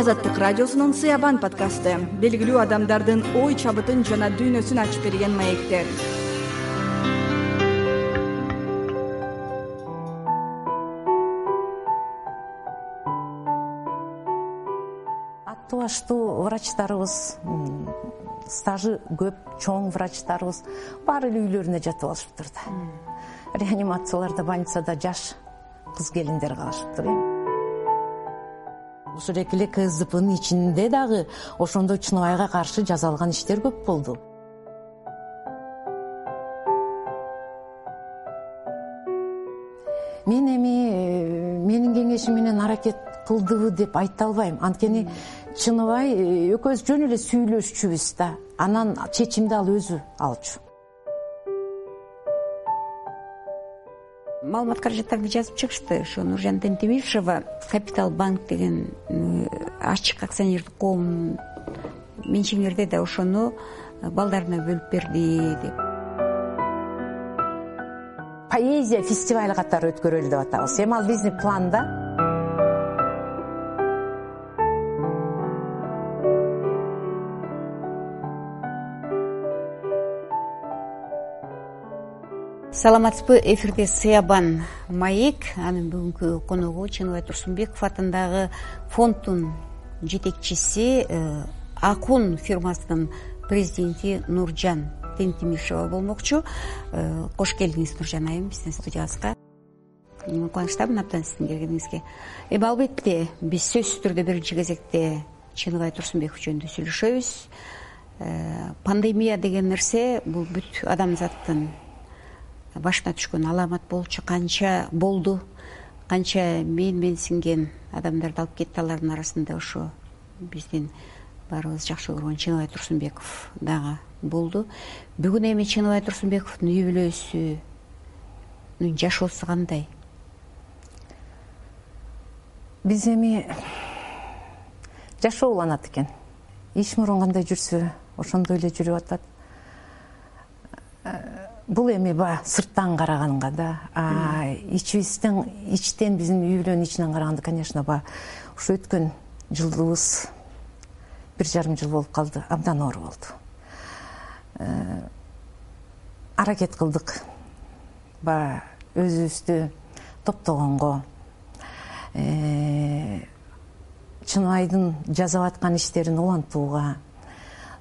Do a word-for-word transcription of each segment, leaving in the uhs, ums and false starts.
Азаттык радиосунун Сыябан подкасты белгилүү адамдардын ой чабытын жана дүйнөсүн ачып берген маектер. Аттуу баштуу врачтарыбыз, стажы көп, чоң врачтарыбыз баары эле үйлөрүнө жатып алышыптыр да. Реанимацияларда, больницада жаш кыз келиндер калышыптыр. Ушул эле КСДПнын ичинде дагы ошондой Чыныбайга каршы жазалган иштер көп болду. Мен эми менин кеңешим менен аракет кылдыбы деп айта албайм. Анткени Чыныбай экөөбүз жөн эле сүйлөшчүбүз да. Анан чечимди ал өзү алчу. Маалымат каражаттарды жазып чыгышты. Ошо Нуржан Тентемишева Капитал банк деген ачык акционердик коом менчигиңерде да ошону балдарына бөлүп берди деп. Поэзия фестивалы катары өткөрөлү деп атабыз. Эми ал биздин планда. Саламатсызбы, эфирде Сыябан маек. Анын бүгүнкү коногу Чыныбай Турсунбеков атындагы фонддун жетекчиси, Акун фирмасынын президенти Нуржан Тентемишева болмокчу. Кош келдиңиз, Нуржан айым, биздин студиябызга. Кубанычтамын абдан сиздин келгениңизге. Эми албетте биз сөзсүз түрдө биринчи кезекте Чыныбай Турсунбеков жөнүндө сүйлөшөбүз. Пандемия деген нерсе бул бүт адамзаттын башына түшкөн аламат болчу. Канча болду, канча мен мен синген адамдарды алып кетти. Алардын арасында ошо биздин баарыбыз жакшы көргөн Чыныбай Турсунбеков дагы болду. Бүгүн эми Чыныбай Турсунбековдун үй бүлөсүнүн жашоосу кандай? Биз эми жашоо уланат экен. Иш мурун кандай жүрсө, ошондой эле жүрүп атат. Бул эми ба сырттан караганга да, а ичибизден, ичтен биздин үй бүлөнүн ичинен караганда, конечно, ба ушу өткөн жылыбыз бир жарым жыл болуп калды, абдан оор болду. Аракет кылдык ба өзүбүздү топтогонго, Чыныбайдын жасап аткан иштерин улантууга,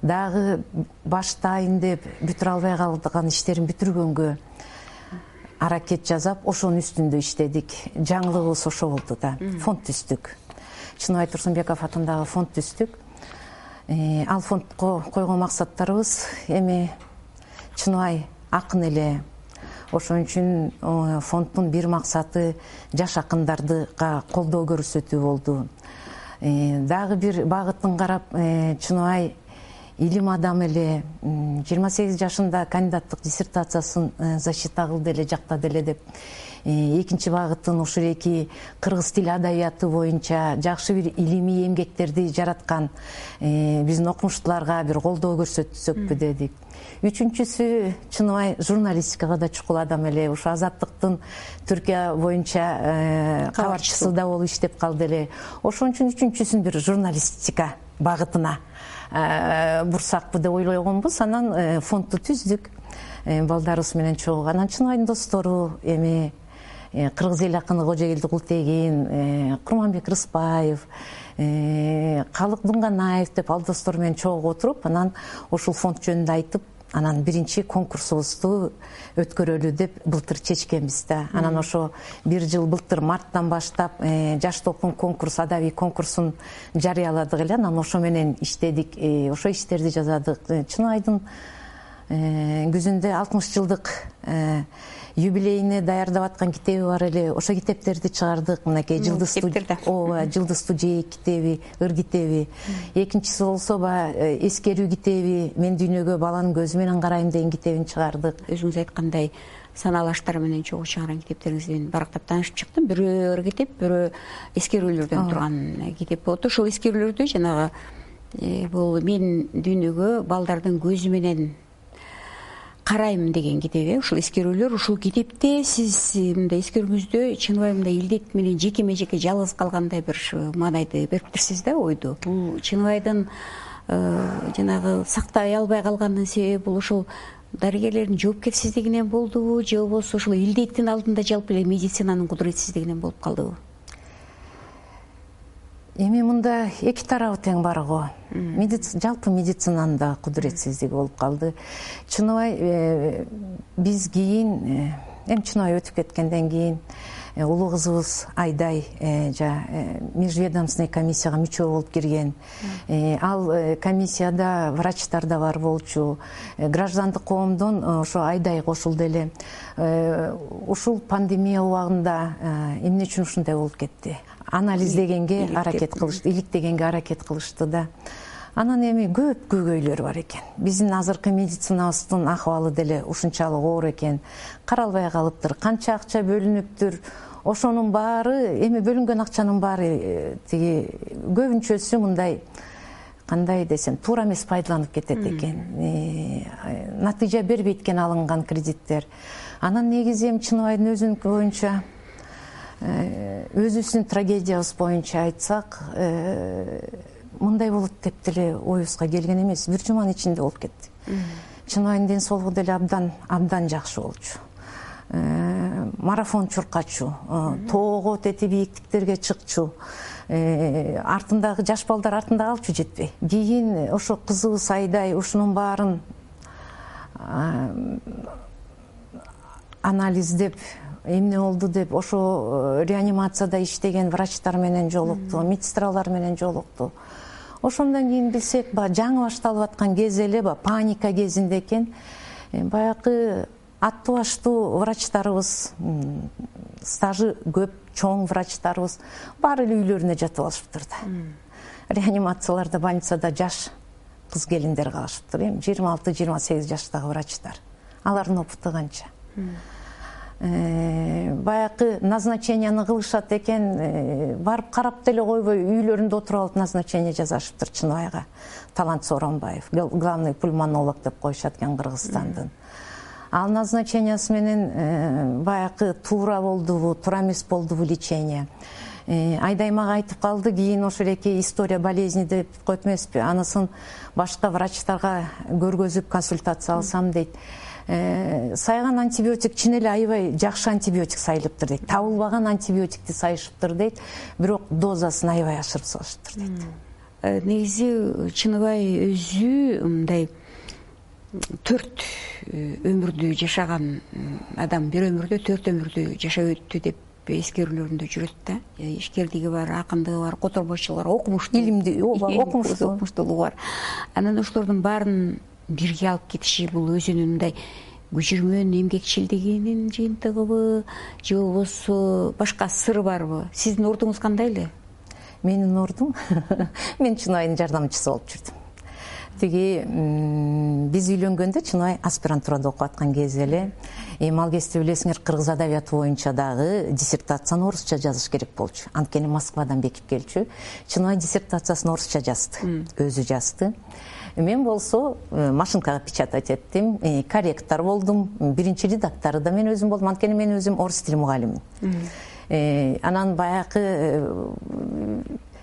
дагы баштайын деп бүтүрө албай калган иштерин бүтүргөнгө аракет жасап, ошонун үстүндө иштедик. Жаңылыгыбыз ошо болду да. Фонд түздүк. Чыныбай Турсунбеков атындагы фонд түздүк. Ал фондко койгон максаттарыбыз эми Чыныбай акын эле. Ошон үчүн фонддун бир максаты жаш акындардыга колдоо көрсөтүү болду. Дагы бир багытын карап, Чыныбай илим адамы эле, жыйырма сегиз жашында кандидаттык диссертациясын защита кылды эле, жактады эле деп. Экинчи багытын ушул эки кыргыз тили адабияты боюнча жакшы бир илимий эмгектерди жараткан биздин окумуштууларга бир колдоо көрсөтсөкпү дедик. Үчүнчүсү, Чыныбай журналистикага да чукул адам эле. Ушу Азаттыктын Түркия боюнча кабарчысы да болуп иштеп калды эле. Ошон үчүн үчүнчүсүн бир журналистика багытына бурсакпы деп ойлогонбуз. Анан фондду түздүк. Балдарыбыз менен чогуу. Анан Чыныбайдын достору эми кыргыз эл акыны Кожогелди Култегин, Курманбек Рыспаев, Калык Дунганаев деп ал достор менен чогуу отуруп, анан ушул фонд жөнүндө айтып, анан биринчи конкурсубузду өткөрөлү деп былтыр чечкенбиз да. Анан ошо бир жыл былтыр марттан баштап жаш толкун конкурс, адабий конкурсун жарыяладык эле. Анан ошо менен иштедик, ошо иштерди жазадык. Чыныбайдын күзүндө алтымыш жылдык юбилейине даярдап аткан китеби бар эле. Ошо китептерди чыгардык. Мынакей жылдызтуу, ооба, жылдызтуу жээк китеби, ыр китеби. Экинчиси болсо ба эскерүү китеби, мен дүйнөгө баланын көзү менен карайм деген китебин чыгардык. Өзүңүз айткандай, саналуу аштар менен чогуу чыгарган китептериңизден барактап таанышып чыктым. Бирөө ыр китеп, бирөө эскерүүлөрдөн турган китеп болду. Ошол эскерүүлөрдө жанагы бул мен дүйнөгө балдардын көзү менен карайм деген китеп, э ушул эскерүүлөр. Ушул китепте сиз мындай эскерүүңүздө чыныбай мындай илдет менен жекеме жеке жалгыз калгандай бир маанайды бериптирсиз да, ойду. Бул Чыныбайдын жанагы сактай албай калганынын себеби бул ушул дарыгерлердин жоопкерсиздигинен болдубу, же болбосо ушул илдеттин алдында жалпы эле медицинанын кудуретсиздигинен болуп калдыбы? Эми мында эки тарабы тең бар го. Жалпы медицинанын да кудуретсиздиги болуп калды. Чыныбай биз кийин, эми Чыныбай өтүп кеткенден кийин улуу кызыбыз Айдай межведомственный комиссияга мүчө болуп кирген. Ал комиссияда врачтар да бар болчу. Граждандык коомдон ошо Айдай кошулду эле. Ушул пандемия убагында эмне үчүн ушундай болуп кетти? Анализ дегенге аракет кылышты, иликтегенге аракет кылышты да. Анан эми көп көйгөйлөр бар экен. Биздин азыркы медицинабыздын акыбалы деле ушунчалык оор экен. Каралбай калыптыр, канча акча бөлүнүптүр. Ошонун баары, эми бөлүнгөн акчанын баары тиги көбүнчөсү мындай, кандай десем, туура эмес пайдаланып кетет экен. Натыйжа бербейт экен алынган кредиттер. Анан негизи эми Чыныбайдын өзүнүн боюнча, өзүбүздүн трагедиябыз боюнча айтсак, мындай болот деп деле оюбузга келген эмес. Бир жуманын ичинде болуп кетти. Чыныбайдын ден соолугу деле абдан абдан жакшы болчу. Марафон чуркачу, тоого тети бийиктиктерге чыкчу. Артындагы жаш балдар артында калчу жетпей. Кийин ошо кызыбыз Айдай ушунун баарын анализдеп, эмне болду деп, ошо реанимацияда иштеген врачтар менен жолукту, медсестралар менен жолукту. Ошондон кийин билсек, жаңы башталып аткан кез эле, паника кезинде экен. Баягы аттуу баштуу врачтарыбыз, стажы көп, чоң врачтарыбыз баары эле үйлөрүнө жатып алышыптыр да. Реанимацияларда, больницада жаш кыз келиндер калышыптыр. Эми жыйырма алты жыйырма сегиз жаштагы врачтар. Алардын опыту канча? Баягы назначенияны кылышат экен, барып карап деле койбой үйлөрүндө отуруп алып назначение жазышыптыр Чыныбайга. Талант Сооронбаев, главный пульмонолог деп коюшат экен Кыргызстандын. Ал назначениясы менен баягы туура болдубу, туура эмес болдубу лечение. Айдай мага айтып калды, кийин ошол эки история болезни деп коет эмеспи, анысын башка врачтарга көргөзүп консультация алсам дейт. Сайган антибиотик чын эле аябай жакшы антибиотик сайылыптыр дейт. Табылбаган антибиотикти сайышыптыр дейт, бирок дозасын аябай ашырып салышыптыр дейт. Негизи Чыныбай өзү мындай төрт өмүрдү жашаган адам, бир өмүрдө төрт өмүрдү жашап өттү деп эскерүүлөрүндө жүрөт да. Ишкердиги бар, акындыгы бар, которбойчулугу бар, окумуштуу, илимди, окумуштуу, окумуштуулугу бар. Анан ошолордун баарын бирге алып кетиши бул өзүнүн мындай күчүрмөн эмгекчилдигинин жыйынтыгыбы, же болбосо башка сыры барбы? Сиздин ордуңуз кандай эле? Менин ордум, мен Чыныбайдын жардамчысы болуп жүрдүм. Тиги биз үйлөнгөндө Чыныбай аспирантурада окуп аткан кез эле. Эми ал кезде билесиңер, кыргыз адабияты боюнча дагы диссертацияны орусча жазыш керек болчу. Анткени Москвадан бекип келчү. Чыныбай диссертациясын орусча жазды, өзү жазды. Мен болсо машинкага печатать эттим, корректор болдум, биринчи редактору да мен өзүм болдум, анткени мен өзүм орус тили мугалиммин. Анан баягы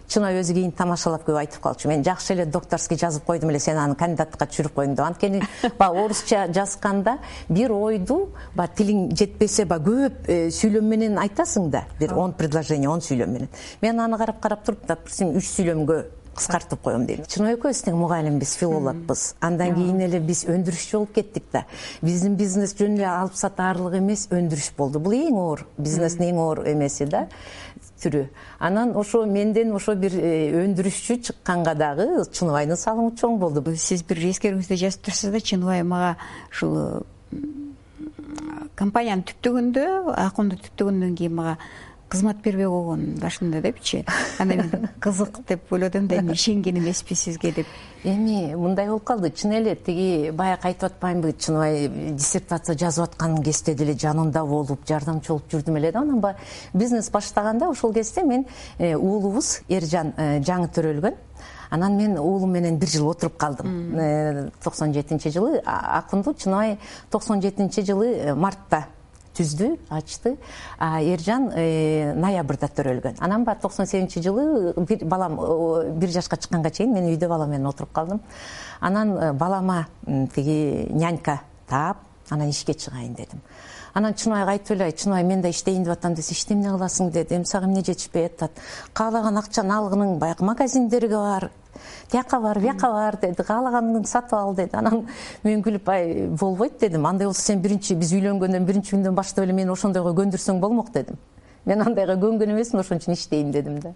Чыныбай өзү кийин тамашалап көп айтып калчу. Мен жакшы эле докторский жазып койдум эле, сен аны кандидатка түшүрүп койдуң деп. Анткени баягы орусча жазганда бир ойду, баягы тилиң жетпесе, баягы көп сүйлөм менен айтасың да, бир он предложение, он сүйлөм менен. Мен аны карап-карап туруп, допустим, үч сүйлөмгө кыскартып коем дейм. Чыныбай экөөбүз тең мугалимбиз, филологбуз. Андан кийин эле биз өндүрүшчү болуп кеттик да. Биздин бизнес жөн эле алып сатаарлык эмес, өндүрүш болду. Бул эң оор, бизнестин эң оор эмеси да, түрү. Анан ошо менден ошо бир өндүрүшчү чыкканга дагы Чыныбайдын салымы чоң болду. Сиз бир эскерүүңүздө жазып турсуз да, Чыныбай мага ушул компанияны түптөгөндө, Акунду түптөгөндөн кийин мага кызмат бербей койгон башында депчи. Анда мен кызык деп ойлодум да, эми ишенген эмеспи сизге деп. Эми мындай болуп калды, чын эле тиги баягы айтып атпаймынбы, Чыныбай диссертация жазып аткан кезде деле жанында болуп, жардамчы болуп жүрдүм эле да. Анан бизнес баштаганда ошол кезде мен уулубуз Эржан жаңы төрөлгөн. Анан мен уулум менен бир жыл отуруп калдым. токсон жетинчи жылы Акунду Чыныбай токсон жетинчи жылы мартта түздү, ачты. А Эржан ноябрда төрөлгөн. Анан баягы токсон сегизинчи жылы бир балам бир жашка чыкканга чейин мен үйдө балам менен отуруп калдым. Анан балама тиги нянька таап, анан ишке чыгайын дедим. Анан Чыныбайга айтып эле, Чыныбай мен да иштейин деп атам десе, иште эмне кыласың дедим. Сага эмне жетишпей атат? Каалаган акчаны алгының баягы магазиндерге бар, тияка бар, бияка бар деди. Каалаганыңды сатып ал деди. Анан мен күлүп, ай болбойт дедим. Андай болсо сен биринчи биз үйлөнгөндөн биринчи күндөн баштап эле мени ошондойго көндүрсөң болмок дедим. Мен андайга көнгөн эмесмин, ошон үчүн иштейм дедим да.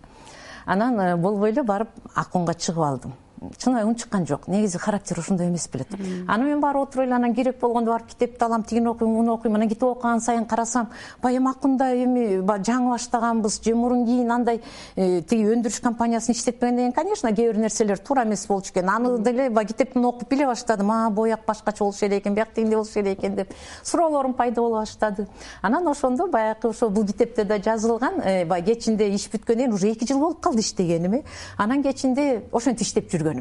Анан болбой эле барып Акунга чыгып алдым. Чыныбай унчуккан жок. Негизи характер ошондой эмес белет. Аны мен барып отуруп эле, анан керек болгондо барып китепти алам, тигини окуйм, муну окуйм. Анан китеп окуган сайын карасам, баягы Акунда эми жаңы баштаганбыз, же мурун кийин андай тиги өндүрүш компаниясын иштетпегенден кийин, конечно, кээ бир нерселер туура эмес болчу экен. Аны деле баягы китептин окуп биле баштадым. А, бояк башкача болуш керек экен, бияк тигиндей болуш керек экен деп суроолорум пайда боло баштады. Анан ошондо баягы ошо бул китепте да жазылган, баягы кечинде иш бүткөндөн кийин уже эки жыл болуп калды иштегениме. Анан кечинде ошентип иштеп жүргөнүмө.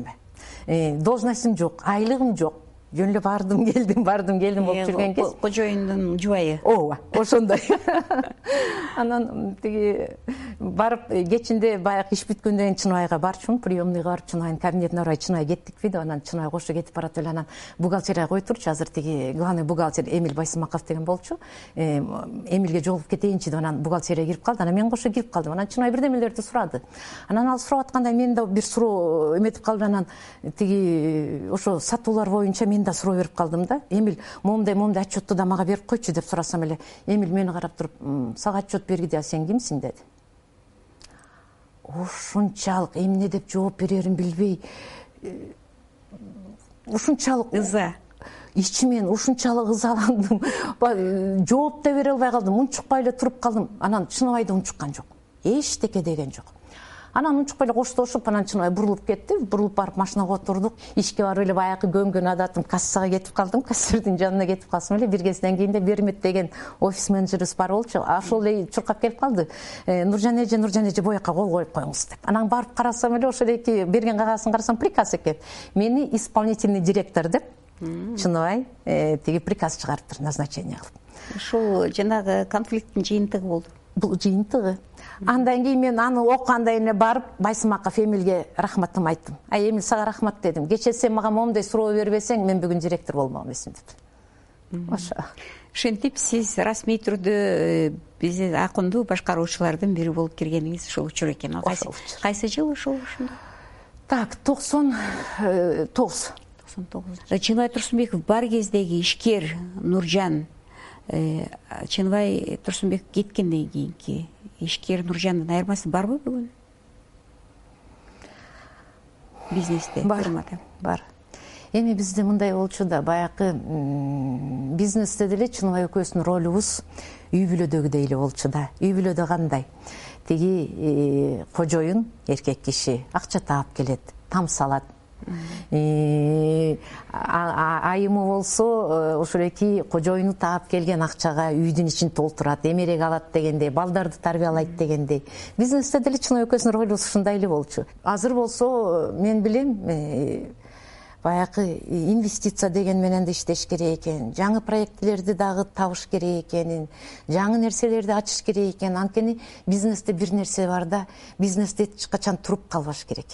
Должностум жок, айлыгым жок. Жөн эле бардым, келдим, бардым, келдим болуп жүргөн кез. Кожоюндун жубайы. Ооба, ошондой. Анан тиги барып кечинде баягы иш бүткөндөн кийин Чыныбайга барчумун, приемныйга барып Чыныбайдын кабинетине барып, Чыныбай кеттикпи деп, анан Чыныбай кошо кетип барат эле, анан бухгалтерияга кой турчу, азыр тиги главный бухгалтер Эмиль Байсымаков деген болчу. Эмилге жолугуп кетейинчи деп, анан бухгалтерияга кирип калды. Анан мен кошо кирип калдым. Анан Чыныбай бирдемелерди сурады. Анан ал сурап атканда мен да бир суроо эметип калды. Анан тиги ошо сатуулар боюнча мен да суроо берип калдым да. Эмиль момундай момундай отчетту да мага берип койчу деп сурасам эле, Эмиль мени карап туруп, сага отчет бергиде, а сен кимсиң деди. Ушунчалык эмне деп жооп берерин билбей, ушунчалык ыза, ичимен ушунчалык ызаландым. Жооп да бере албай калдым, унчукпай эле туруп калдым. Анан Чыныбай да унчуккан жок. Эчтеке деген жок. Анан унчукпай эле коштошуп, анан Чыныбай бурулуп кетти. Бурулуп барып машинага отурдук. Ишке барып эле баягы көнгөн адатым кассага кетип калдым. Кассирдин жанына кетип калсам эле, бир кезден кийин Бермет деген офис менеджерибиз бар болчу. Ошол эле чуркап келип калды. Нуржан эже, Нуржан эже боякка кол коюп коюңуз деп. Анан барып карасам эле, ошол эки берген кагазын карасам, приказ экен. Мени исполнительный директор деп Чыныбай тиги приказ чыгарыптыр, назначение кылып. Ушул жанагы конфликттин жыйынтыгы болду. Бул жыйынтыгы. Андан кийин мен аны окугандан кийин барып Байсымаков Эмилге рахматымды айттым. Ай Эмил, сага рахмат дедим. Кечээ сен мага момундай суроо бербесең, мен бүгүн директор болмок эмесмин деп. Ошо. Ошентип сиз расмий түрдө биз Акунду башкаруучулардын бири болуп киргениңиз ушул учур экен. Кайсы кайсы жыл ушул ушунда? Так, токсон тогуз. токсон тогуз. Чыныбай Турсунбеков бар кездеги ишкер Нуржан, Чыныбай Турсунбеков кеткенден кийинки ишкер Нуржандын айырмасы барбы бүгүн? Бизнесте, фирмада. Бар. Эми бизде мындай болчу да, баягы бизнесте деле Чыныбай экөөбүздүн ролубуз үй бүлөдөгүдөй эле болчу да. Үй бүлөдө кандай? Тиги кожоюн, эркек киши акча таап келет, там салат. Айымы болсо ошол эки кожоюну таап келген акчага үйдүн ичин толтурат, эмерек алат дегендей, балдарды тарбиялайт дегендей. Бизнесте деле Чыныбай экөөбүздүн ролубуз ушундай эле болчу. Азыр болсо мен билем, баягы инвестиция деген менен да иштеш керек экен, жаңы проектилерди дагы табыш керек экенин, жаңы нерселерди ачыш керек экен. Анткени бизнесте бир нерсе бар да, бизнесте эч качан туруп калбаш керек.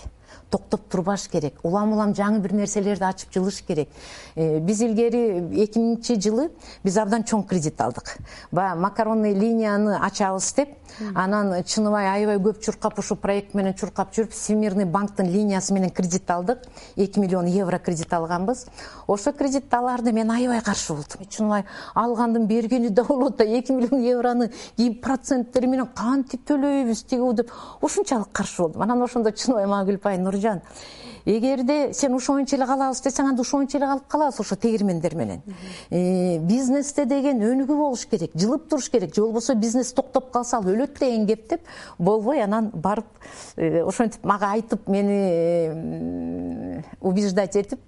Токтоп турбаш керек. Улам улам жаңы бир нерселерди ачып жылыш керек. Биз илгери эки миңинчи жылы биз абдан чоң кредит алдык. Баягы макаронный линияны ачабыз деп, анан Чыныбай аябай көп чуркап, ушул проект менен чуркап жүрүп, Всемирный банктын линиясы менен кредит алдык. эки миллион евро кредит алганбыз. Ошо кредитти аларды мен аябай каршы болдум. Чыныбай алгандын бергени да болот да, эки миллион евроны кийин проценттери менен кантип төлөйбүз тиги деп ушунчалык каршы болдум. Анан ошондо Чыныбай мага күлүп, ай Нуржан, эгерде сен ошоңчу эле калабыз десең, анда ошоңчу эле калып калабыз ошо тегирмендер менен. Бизнесте деген өнүгүү болуш керек, жылып туруш керек. Же болбосо бизнес токтоп калса ал өлөт деген кеп деп болбой, анан барып ошентип мага айтып, мени убеждать этип,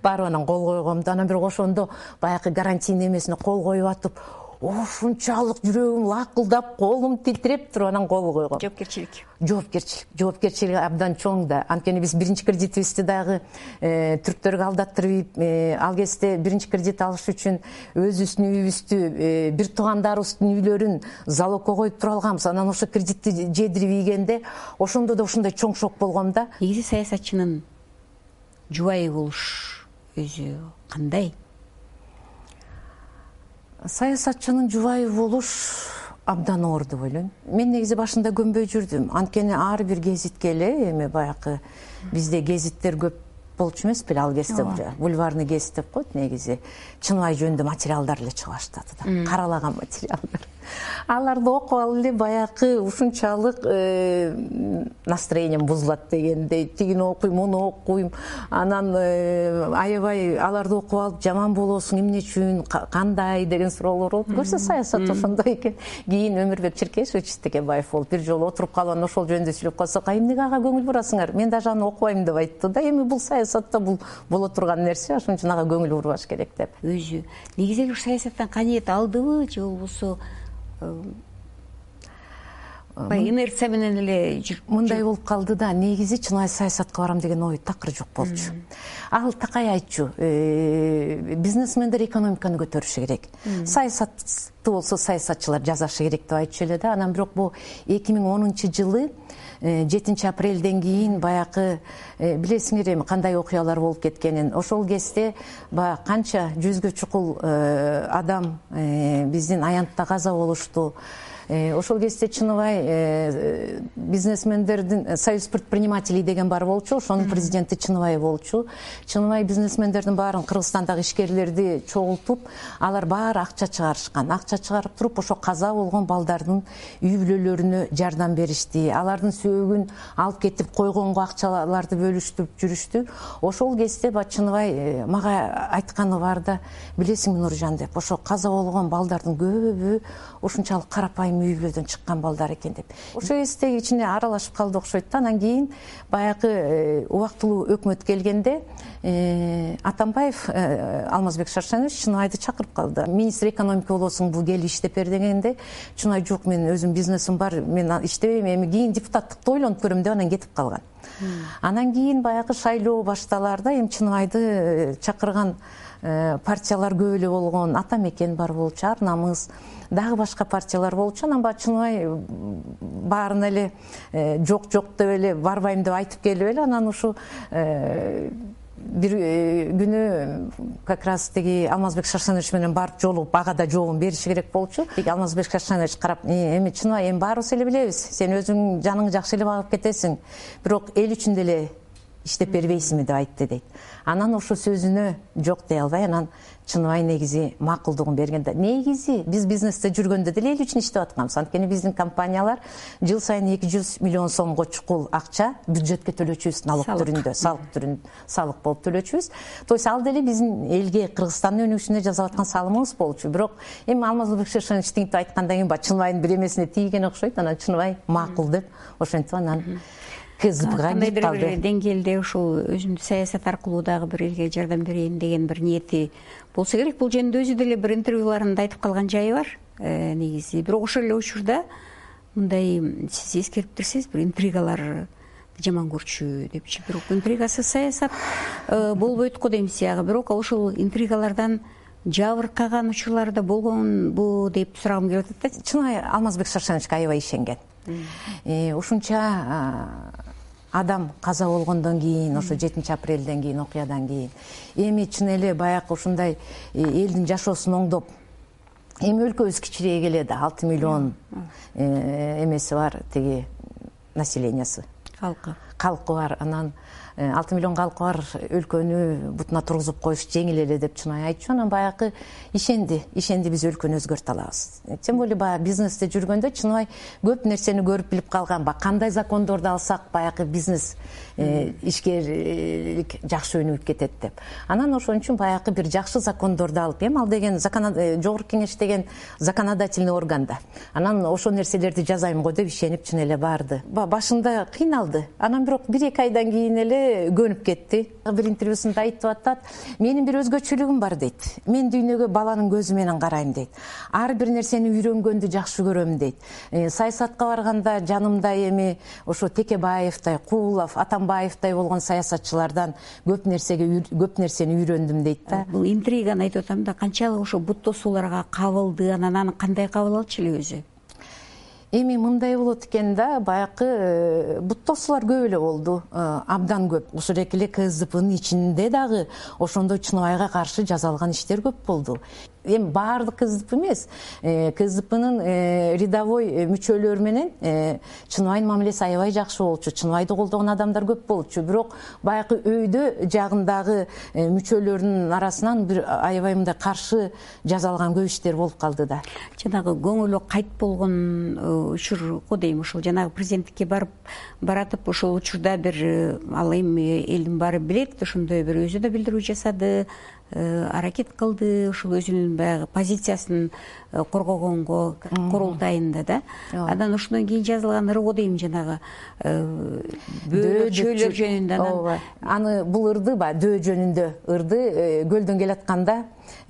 барып анан кол койгом да, анан бирок ошондо баягы гарантийный эмесине кол коюп атып, ушунчалык жүрөгүм лакылдап, колум титиреп туруп анан кол койгом. Жоопкерчилик. Жоопкерчилик. Жоопкерчилиги абдан чоң да. Анткени биз биринчи кредитибизди дагы түрктөргө алдаттырып, ал кезде биринчи кредит алыш үчүн өзүбүздүн үйүбүздү, бир туугандарыбыздын үйлөрүн залогко коюп тура алганбыз. Анан ошо кредитти жедирип ийгенде ошондо да ушундай чоң шок болгом да. Негизи саясатчынын жубайы болуш өзү кандай? Саясатчынын жубайы болуш абдан оор деп ойлойм. Мен негизи башында көнбөй жүрдүм. Анткени ар бир гезитке эле эми баягы бизде гезиттер көп болчу эмес беле ал кезде. Бульварный гезит деп коет негизи. Чыныбай жөнүндө материалдар эле чыга баштады да. Каралаган материалдар. Аларды окуп алып эле баягы ушунчалык настроением бузулат дегендей, тигини окуйм, муну окуйм, анан аябай аларды окуп алып жаман болосуң, эмне үчүн, кандай деген суроолор болуп. Көрсө саясат ошондой экен. Кийин Өмүрбек Черкесович Текебаев болуп бир жолу отуруп калып анан ошол жөнүндө сүйлөп калсак, эмнеге ага көңүл бурасыңар? Мен даже аны окубайм деп айтты да. Эми бул саясатта бул боло турган нерсе, ошон үчүн ага көңүл бурбаш керек деп. Өзү негизи эле саясаттан каниет алдыбы же болбосо бай инерция менен эле жүрүп мындай болуп калды да. Негизи чыныбай саясатка барам деген ой такыр жок болчу. Ал такай айтчу, бизнесмендер экономиканы көтөрүшү керек. Саясатты болсо саясатчылар жасашы керек деп айтчу эле да. Анан бирок бул эки миң онунчу жылы жетинчи апрелден кийин баягы билесиңер эми кандай окуялар болуп кеткенин. Ошол кезде баягы канча жүзгө чукул адам биздин аянтта каза болушту. Ошол кезде Чыныбай бизнесмендердин Союз предпринимателей деген бар болчу, ошонун президенти Чыныбай болчу. Чыныбай бизнесмендердин баарын, Кыргызстандагы ишкерлерди чогултуп, алар баары акча чыгарышкан. Акча чыгарып туруп, ошо каза болгон балдардын үй бүлөлөрүнө жардам беришти. Алардын сөөгүн алып кетип койгонго акчаларды бөлүштүрүп жүрүштү. Ошол кезде ба Чыныбай мага айтканы бар да, билесиңби Нуржан деп, ошо каза болгон балдардын көбү ушунчалык карапайым үй бүлөдөн чыккан балдар экен деп. Ошо кезде ичине аралашып калды окшойт да. Анан кийин баягы убактылуу өкмөт келгенде Атамбаев Алмазбек Шаршенович Чыныбайды чакырып калды. Министр экономика болосуң, бул кел иштеп бер дегенде Чыныбай жок, мен өзүм бизнесим бар, мен иштебейм, эми кийин депутаттыкты ойлонуп көрөм деп анан кетип калган. Анан кийин баягы шайлоо башталарда эми Чыныбайды чакырган партиялар көп эле болгон. Ата Мекен бар болчу, Ар Намыс, дагы башка партиялар болчу. Анан баягы Чыныбай баарына эле жок жок деп эле барбайм деп айтып келип эле анан ушу бир күнү как раз тиги Алмазбек Шаршенович менен барып жолугуп ага да жообун бериши керек болчу. Тиги Алмазбек Шаршенович карап, эми Чыныбай, эми баарыбыз эле билебиз, сен өзүң жаныңды жакшы эле багып кетесиң, бирок эл үчүн деле иштеп бербейсиңби деп айтты дейт. Анан ошо сөзүнө жок дей албай, анан Чыныбай негизи макулдугун берген да. Негизи биз бизнесте жүргөндө деле эл үчүн иштеп атканбыз. Анткени биздин компаниялар жыл сайын эки жүз миллион сомго чукул акча бюджетке төлөчүбүз, налог түрүндө, салык түрүндө, салык болуп төлөчүбүз. То есть ал деле биздин элге, Кыргызстандын өнүгүшүнө жасап аткан салымыбыз болчу. Бирок эми Алмазбек Шаршенович тигинтип айткандан кийин ба Чыныбайдын бир эмесине тийген окшойт. Анан Чыныбай макул деп ошентип анан кандайдыр бир деңгээлде ушул өзүмдү саясат аркылуу дагы бир элге жардам берейин деген бир ниети болсо керек. Бул жөнүндө өзү деле бир интервьюларында айтып калган жайы бар негизи. Бирок ошол эле учурда мындай сиз эскерип турсуңуз, бир интригалар жаман көрчү депчи. Бирок интригасыз саясат болбойт го дейм сиягы. Бирок ошол интригалардан жабыркаган учурлар да болгонбу деп сурагым келип атат да. Чыныбай Алмазбек Шаршеновичке аябай ишенген. Ушунча адам каза болгондон кийин, ошо жетинчи апрелден кийин, окуядан кийин эми чын эле баягы ушундай элдин жашоосун оңдоп, эми өлкөбүз кичирейе келеди, алты миллион эмеси бар, тиги населениясы, калкы калкы бар. Анан алты миллион калкы бар өлкөнү бутуна тургузуп коюш жеңил эле деп Чыныбай айтчу. Анан баягы ишенди, ишенди биз өлкөнү өзгөртө алабыз. Тем более баягы бизнесте жүргөндө Чыныбай көп нерсени көрүп билип калган. Баягы кандай закондорду алсак баягы бизнес ишкерлик жакшы өнүгүп кетет деп. Анан ошон үчүн баягы бир жакшы закондорду алып, эми ал деген жогорку кеңеш деген законодательный органда. Анан ошол нерселерди жасайм го деп ишенип чын эле барды. Башында кыйналды. Анан бирок бир эки айдан кийин эле көнүп кетти. Бир интервьюсунда айтып атат, менин бир өзгөчөлүгүм бар дейт. Мен дүйнөгө баланын көзү менен карайм дейт. Ар бир нерсени үйрөнгөндү жакшы көрөм дейт. Саясатка барганда жанымда эми ошо Текебаевтай, Куулов, Атамбаевтай болгон саясатчылардан көп нерсеге көп нерсени үйрөндүм дейт да. Бул интриганы айтып атам да, канчалык ошо бут тосууларга кабылды, анан аны кандай кабыл алчу эле өзү? Эми мындай болот экен да, баягы бут тосуулар көп эле болду, абдан көп. Ошол эле КСДПнын ичинде дагы ошондой Чыныбайга каршы жазалган иштер көп болду. Эми баардык КСДП эмес, КСДПнын рядовой мүчөлөрү менен Чыныбайдын мамилеси аябай жакшы болчу, Чыныбайды колдогон адамдар көп болчу. Бирок баягы өйдө жагындагы мүчөлөрдүн арасынан бир аябай мындай каршы жазалган көп иштер болуп калды да. Жанагы көңүлү кайт болгон учур го дейм, ошол жанагы президенттикке барып баратып, ошол учурда бир ал эми элдин баары билет, ошондой бир өзү да билдирүү жасады, аракет кылды, ошол өзүнүн баягы позициясын коргогонго курултайында да. Анан ошондон кийин жазылган ырго дейм, жанагы бөө чөйлөр жөнүндө. Ооба. Аны бул ырды ба, дөө жөнүндө ырды көлдөн келатканда,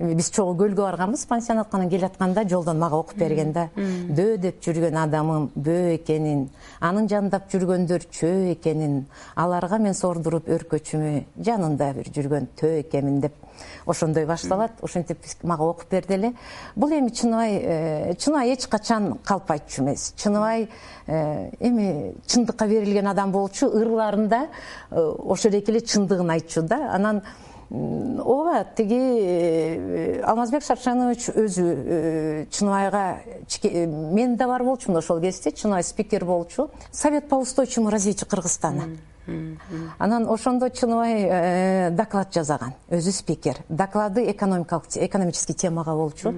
биз чогуу көлгө барганбыз, пансионатка, анан келатканда жолдон мага окуп берген да. Дөө деп жүргөн адамым бөө экенин, анын жандап жүргөндөр чөө экенин, аларга мен сордуруп өркөчүмө жанында бир жүргөн төө экенмин деп ошондой башталат. Ошентип мага окуп берди эле. Бул эми Чыныбай, Чыныбай эч качан калпайтчу эмес. Чыныбай эми чындыкка берилген адам болчу, ырларында ошол эле чындыгын айтчу да. Анан ооба, тиги Алмазбек Шаршенович өзү Чыныбайга, мен да бар болчумун ошол кезде, Чыныбай спикер болчу, Совет по устойчивому развитию Кыргызстана. Анан ошондо Чыныбай доклад жасаган, өзү спикер. Доклады экономический темага болчу.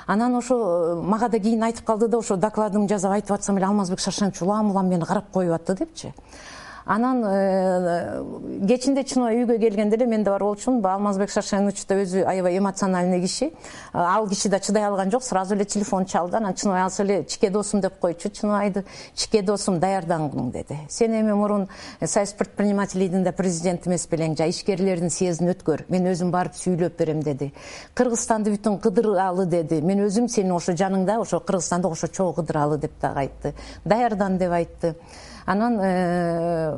Анан ошо мага да кийин айтып калды да, ошо докладымды жазап айтып атсам эле Алмазбек Шаршенович улам-улам мени карап коюп атты депчи. Анан кечинде Чыныбай үйгө келгенде эле мен да бар болчумун. Алмазбек Шаршенович да өзү аябай эмоциональный киши. Ал киши да чыдай алган жок, сразу эле телефон чалды. Анан Чыныбай алса эле чике досум деп койчу. Чыныбайды чике досум даярдангын деди. Сен эми мурун Союз предпринимателийдин да президенти эмес белең, жа ишкерлердин съездин өткөр. Мен өзүм барып сүйлөп берем деди. Кыргызстанды бүтүн кыдыралы деди. Мен өзүм сенин ошо жаныңда, ошо Кыргызстанды ошо чогуу кыдыралы деп дагы айтты. Даярдан деп айтты. Анан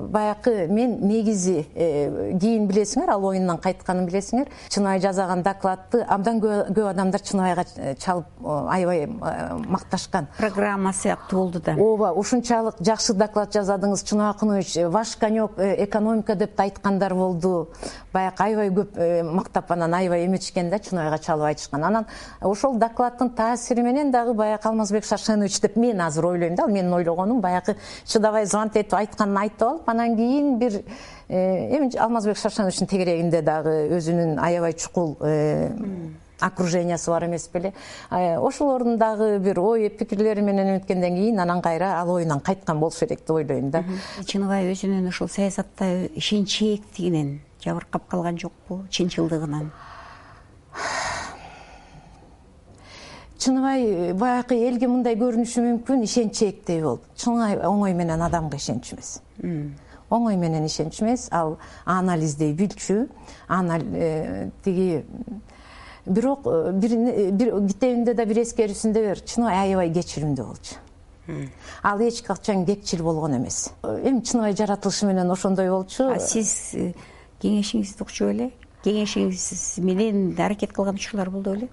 баягы мен негизи кийин билесиңер, ал оюндан кайтканын билесиңер, Чыныбай жасаган докладты абдан көп адамдар Чыныбайга чалып аябай макташкан. Программа сыяктуу болду да. Ооба, ушунчалык жакшы доклад жасадыңыз, Чыныбай Акунович, ваш конек экономика деп айткандар болду. Баягы аябай көп мактап, анан аябай эметишкен да, Чыныбайга чалып айтышкан. Анан ошол докладдын таасири менен дагы баягы Алмазбек Шаршенович деп мен азыр ойлойм да, ал менин ойлогонум, баягы чыдабай звонт этип айтканын айтып алып, анан кийин бир эми Алмазбек Шаршеновичтин тегерегинде дагы өзүнүн аябай чукул окружениясы бар эмес беле. Ошолордун дагы бир ой пикирлери менен өткөндөн кийин анан кайра ал оюндан кайткан болушу керек деп ойлойм да. Чыныбай өзүнүн ушул саясатта ишенчээктигинен жабыркап калган жокпу, чынчылдыгынан? Чыныбай баягы элге мындай көрүнүшү мүмкүн, ишенчээктей болуп. Чыныбай оңой менен адамга ишенчү эмес. Оңой менен ишенчү эмес, ал анализдей билчү, тиги бирок бир китебинде да бир эскерүүсүндө бер, Чыныбай аябай кечиримдүү болчу. Ал эч качан кекчил болгон эмес. Эми Чыныбай жаратылышы менен ошондой болчу. А сиз кеңешиңизди укчу беле? Кеңешиңиз менен аракет кылган учурлар болду беле?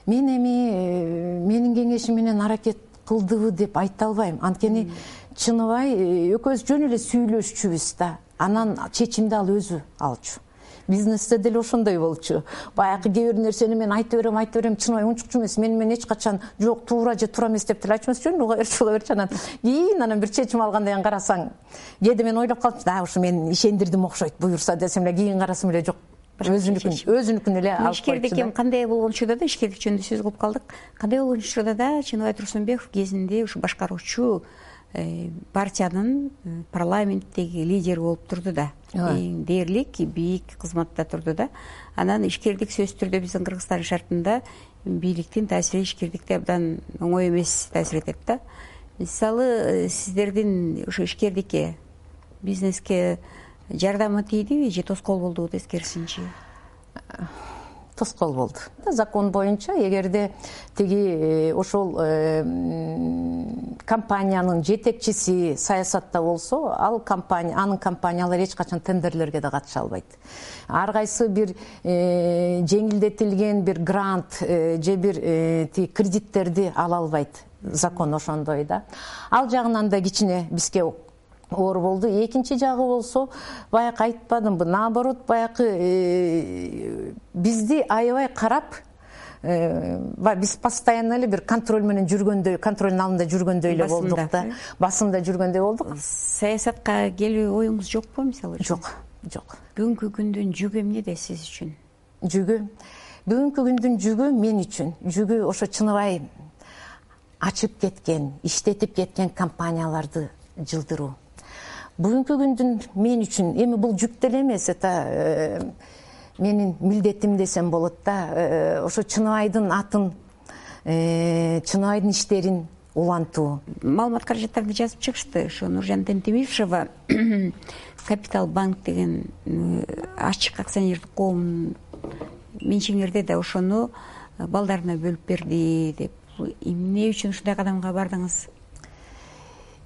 Мен эми менин кеңешим менен аракет кылдыбы деп айта албайм. Анткени Чыныбай экөөбүз жөн эле сүйлөшчүбүз да. Анан чечимди ал өзү алчу. Бизнесте деле ошондой болчу. Баягы кээ бир нерсени мен айта берем, айта берем, Чыныбай унчукчу эмес, мени мен эч качан жок, туура же туура эмес деп деле айтчу эмес, жөн уга берчи, уга берчи. Анан кийин анан бир чечим алгандан кийин карасаң, кээде мен ойлоп калчумун, да, ушу мен ишендирдим окшойт, буюрса десем эле, кийин карасам эле жок. Өзүнүкүн, өзүнүкүн эле алып койчу. Ишкердик кандай болгон учурда да, ишкердик жөнүндө сөз кылып калдык. Кандай болгон учурда да Чыныбай Турсунбеков кезинде ушу башкаруучу партиянын парламенттеги лидери болуп турду да. Эң дээрлик, бийик кызматта турду да. Анан ишкердик сөзсүз түрдө биздин Кыргызстан шартында бийликтин таасири ишкердикте абдан оңой эмес таасир этет да. Мисалы, сиздердин ушу ишкердикке бизнеске жардамы тийдиби же тоскоол болдубу тескерисинчи? Тоскоол болду. Закон боюнча эгерде тиги ошол компаниянын жетекчиси саясатта болсо, ал компания, анын компаниялары эч качан тендерлерге да катыша албайт. Ар кайсы бир жеңилдетилген бир грант же бир тиги кредиттерди ала албайт. Закон ошондой да. Ал жагынан да кичине бизге оор болду. Экинчи жагы болсо, баягы айтпадымбы, наоборот, баягы бизди аябай карап, биз постоянно эле бир контроль менен жүргөндөй, контролдун алдында жүргөндөй эле болдук да. Басымда жүргөндөй болдук. Саясатка келүү оюңуз жокпу мисалы үчүн? Жок, жок. Бүгүнкү күндүн жүгү эмнеде сиз үчүн? Жүгү. Бүгүнкү күндүн жүгү мен үчүн, жүгү ошо чыныбай ачып кеткен, иштетип кеткен компанияларды жылдыруу. Бүгүнкү күндүн мен үчүн эми бул жүк деле эмес, это менин милдетим десем болот да. Ошо Чыныбайдын атын, Чыныбайдын иштерин улантуу. Маалымат каражаттарды жазып чыгышты. Ошо Нуржан Тентемишева Капитал банк деген ачык акционердик коом менчигиңерде да ошону балдарына бөлүп берди деп. Эмне үчүн ушундай кадамга бардыңыз?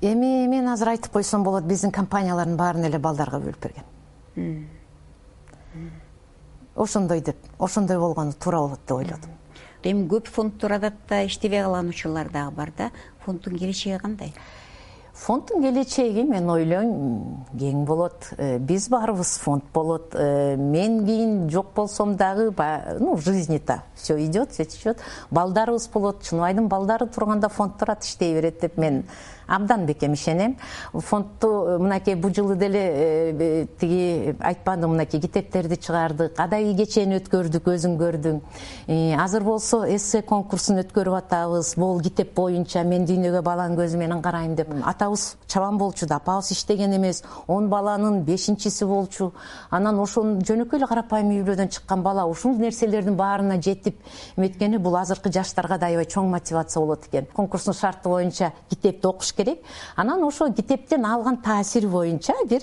Эми мен азыр айтып койсом болот, биздин компаниялардын баарын эле балдарга бөлүп берген. Ошондой деп, ошондой болгону туура болот деп ойлодум. Эми көп фонддор адатта иштебей калган учурлар дагы бар да. Фонддун келечеги кандай? Фонддун келечеги мен ойлойм кең болот. Биз барыбыз фонд болот. Мен кийин жок болсом дагы, ну, в жизни-то все идет, все течет. Балдарыбыз болот. Чыныбайдын балдары турганда фонддор ат иштей берет деп мен абдан бекем ишенем. Фондду мынакей бул жылы деле тиги айтпадым, мынакей китептерди чыгардык, кадайы кечени өткөрдүк, өзүң көрдүң. Азыр болсо эссе конкурсун өткөрүп атабыз. Бул китеп боюнча мен дүйнөгө баланын көзү менен карайм деп. Атабыз чабан болчу да, апабыз иштеген эмес, он баланын бешинчиси болчу. Анан ошону жөнөкөй эле карапайым үй бүлөдөн чыккан бала ушул нерселердин баарына жетип эметкени бул азыркы жаштарга да аябай чоң мотивация болот экен. Конкурстун шарты боюнча китепти окуш керек. Анан ошо китептен алган таасир боюнча бир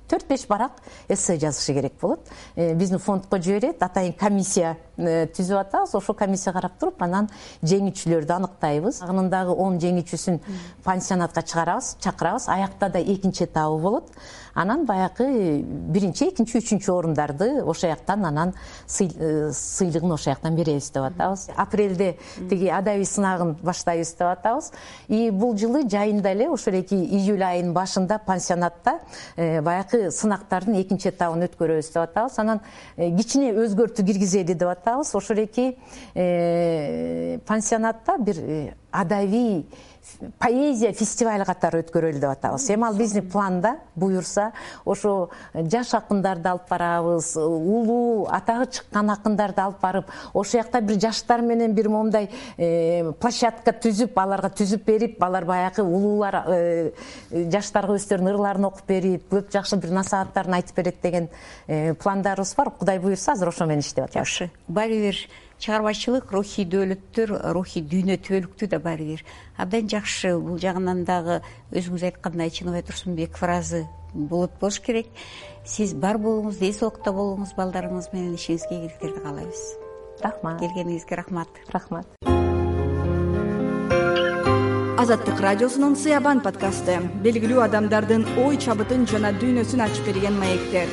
төрт беш барак эссе жазышы керек болот. Биздин фондко жиберет, атайын комиссия түзүп атабыз. Ошо комиссия карап туруп, анан жеңүүчүлөрдү аныктайбыз. Агынындагы он жеңүүчүсүн пансионатка чыгарабыз, чакырабыз. Аякта да экинчи этабы болот. Анан баягы биринчи, экинчи, үчүнчү орундарды ошо жактан анан сыйлыгын ошо жактан беребиз деп атабыз. Апрелде тиги адабий сынагын баштайбыз деп атабыз. И бул жылы жайында эле ошо эки июль айынын башында пансионатта баягы сынактардын экинчи этабын өткөрөбүз деп атабыз. Анан кичине өзгөртүү киргизели деп атабыз. Ошо эки пансионатта бир адабий поэзия фестиваль катары өткөрөлү деп атабыз. Эми ал биздин планда буюрса, ошо жаш акындарды алып барабыз, улуу атагы чыккан акындарды алып барып, ошо жакта бир жаштар менен бир момундай площадка түзүп, аларга түзүп берип, алар баягы улуулар жаштарга өздөрүнүн ырларын окуп берип, көп жакшы бир насааттарын айтып берет деген пландарыбыз бар. Кудай буюрса, азыр ошо менен иштеп атабыз. Жакшы. Баары бир чыгармачылык, рухий дөөлөттөр, рухий дүйнө түбөлүктүү да баары бир абдан жакшы. Бул жагынан дагы өзүңүз айткандай Чыныбай Турсунбеков ыраазы болот болуш керек. Сиз бар болуңуз, эс оокта болуңуз, балдарыңыз менен ишиңизге ийгиликтерди каалайбыз. Рахмат. Келгениңизге рахмат. Рахмат. Азаттык радиосунун Сыябан подкасты белгилүү адамдардын ой чабытын жана дүйнөсүн ачып берген маектер.